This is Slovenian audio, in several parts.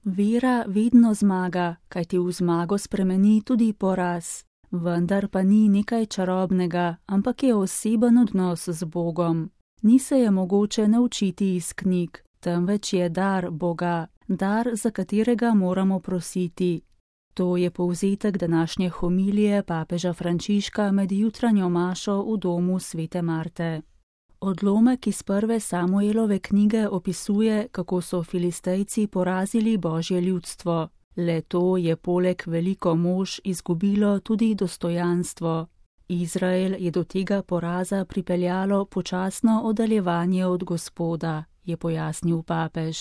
Vera vedno zmaga, kajti v zmago spremeni tudi poraz. Vendar pa ni nekaj čarobnega, ampak je oseben odnos z Bogom. Ni se je mogoče naučiti iz knjig, temveč je dar Boga, dar, za katerega moramo prositi. To je povzetek današnje homilije papeža Frančiška med jutranjo mašo v domu svete Marte. Odlomek iz prve Samuelove knjige opisuje, kako so Filistejci porazili Božje ljudstvo. Le to je poleg veliko mož izgubilo tudi dostojanstvo. Izrael je do tega poraza pripeljalo počasno oddaljevanje od Gospoda, je pojasnil papež.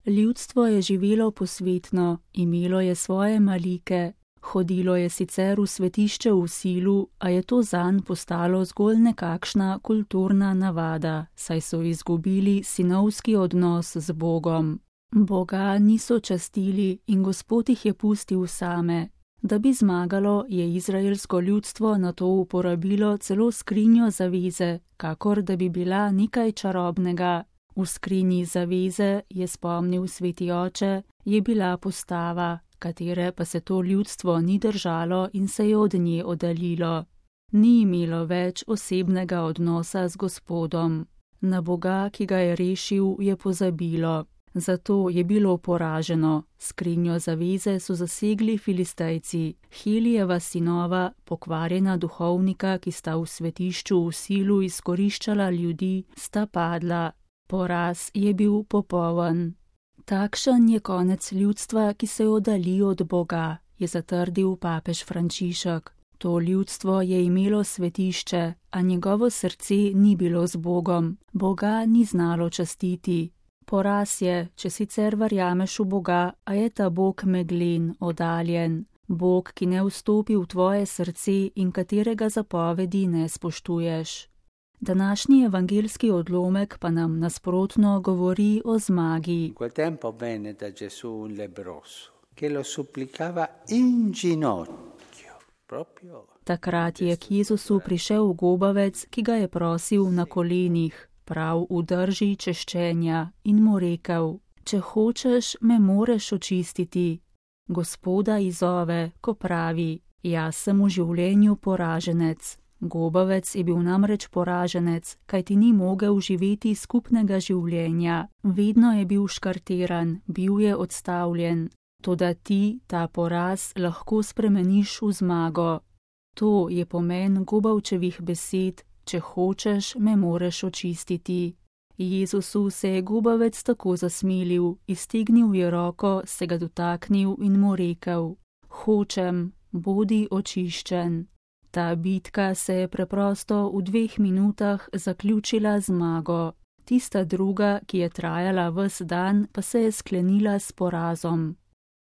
Ljudstvo je živelo posvetno, imelo je svoje malike, hodilo je sicer v svetišče v silu, a je to zanj postalo zgolj nekakšna kulturna navada, saj so izgubili sinovski odnos z Bogom. Boga niso častili in Gospod jih je pustil same. Da bi zmagalo, je izraelsko ljudstvo na to uporabilo celo skrinjo zaveze, kakor da bi bila nekaj čarobnega. V skrinji zaveze, je spomnil sveti oče, je bila postava, katere pa se to ljudstvo ni držalo in se je od nje oddaljilo. Ni imelo več osebnega odnosa z Gospodom. Na Boga, ki ga je rešil, je pozabilo. Zato je bilo poraženo. Skrinjo zaveze so zasegli Filistejci, Helijeva sinova, pokvarjena duhovnika, ki sta v svetišču v silu izkoriščala ljudi, sta padla. Poraz je bil popoln. Takšen je konec ljudstva, ki se oddalji od Boga, je zatrdil papež Frančišek. To ljudstvo je imelo svetišče, a njegovo srce ni bilo z Bogom. Boga ni znalo častiti. Poraz je, če sicer verjameš v Boga, a je ta Bog meglen, oddaljen. Bog, ki ne vstopi v tvoje srce in katerega zapovedi ne spoštuješ. Današnji evangeljski odlomek pa nam nasprotno govori o zmagi. Quel tempo venne da Gesù un lebbroso, che lo supplicava in ginocchio, proprio. Takrat je k Jezusu prišel gobavec, ki ga je prosil na kolenih, prav v drži češčenja, in mu rekel: Če hočeš, me moreš očistiti. Gospoda izzove, ko pravi: Jaz sem v življenju poraženec. Gobavec je bil namreč poraženec, kajti ni mogel živeti skupnega življenja. Vedno je bil škartiran, bil je odstavljen. Toda ti ta poraz lahko spremeniš v zmago. To je pomen gobavčevih besed: Če hočeš, me moreš očistiti. Jezusu se je gobavec tako zasmilil, iztegnil je roko, se ga dotaknil in mu rekel: Hočem, bodi očiščen. Ta bitka se je preprosto v 2 minutah zaključila z zmago. Tista druga, ki je trajala ves dan, pa se je sklenila s porazom.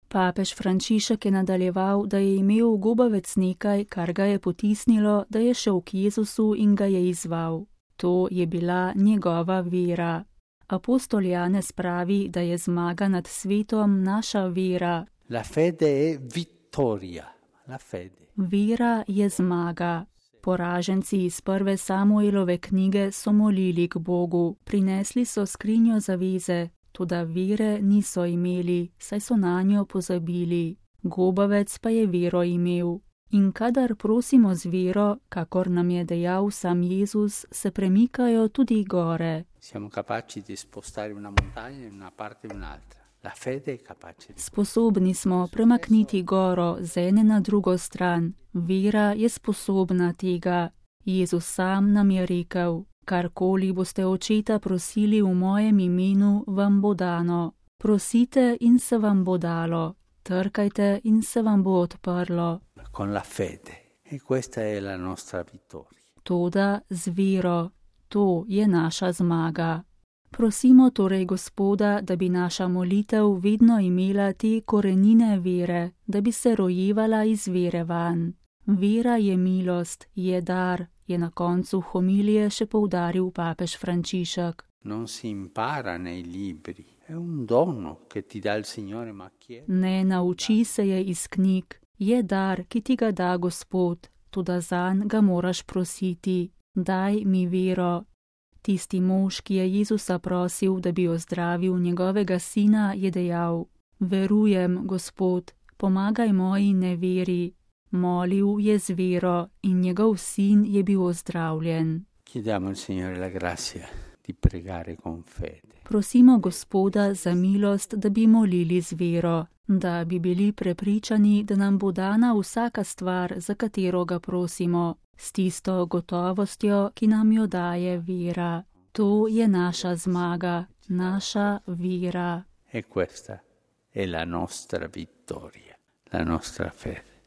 Papež Frančišek je nadaljeval, da je imel gobavec nekaj, kar ga je potisnilo, da je šel k Jezusu in ga je izzval. To je bila njegova vera. Apostol Janez pravi, da je zmaga nad svetom naša vera. La fede è vittoria. La fede. Vera je zmaga. Poraženci iz prve Samuelove knjige so molili k Bogu, prinesli so skrinjo zaveze, toda vere niso imeli, saj so nanjo pozabili. Gobavec pa je vero imel. In kadar prosimo z vero, kakor nam je dejal sam Jezus, se premikajo tudi gore. Siamo capaci di spostare una montagna in una parte in un'altra. La fede è capace. Sposobni smo premakniti goro z ene na drugo stran. Vera je sposobna tega. Jezus sam nam je rekel: Karkoli boste očeta prosili v mojem imenu, vam bo dano. Prosite in se vam bo dalo. Trkajte in se vam bo odprlo. Con la fede. E questa è la nostra vittoria. Toda z vero. To je naša zmaga. Prosimo torej Gospoda, da bi naša molitev vedno imela te korenine vere, da bi se rojevala iz vere van. Vera je milost, je dar, je na koncu homilije še poudaril papež Frančišek. Non si impara nei libri, è un dono che ti dà il Signore, ma chiedi. Ne nauči se je iz knjig, je dar, ki ti ga da Gospod, toda zanj ga moraš prositi. Daj mi vero. Tisti mož, ki je Jezusa prosil, da bi ozdravil njegovega sina, je dejal: Verujem, Gospod, pomagaj moji neveri. Molil je z vero in njegov sin je bil ozdravljen. Chiediamo al Signore la grazia di pregare con fede. Prosimo Gospoda za milost, da bi molili z vero, da bi bili prepričani, da nam bo dana vsaka stvar, za katero ga prosimo, s tisto gotovostjo, ki nam jo daje vera. To je naša zmaga, naša vera. E questa è la nostra vittoria, la nostra fede.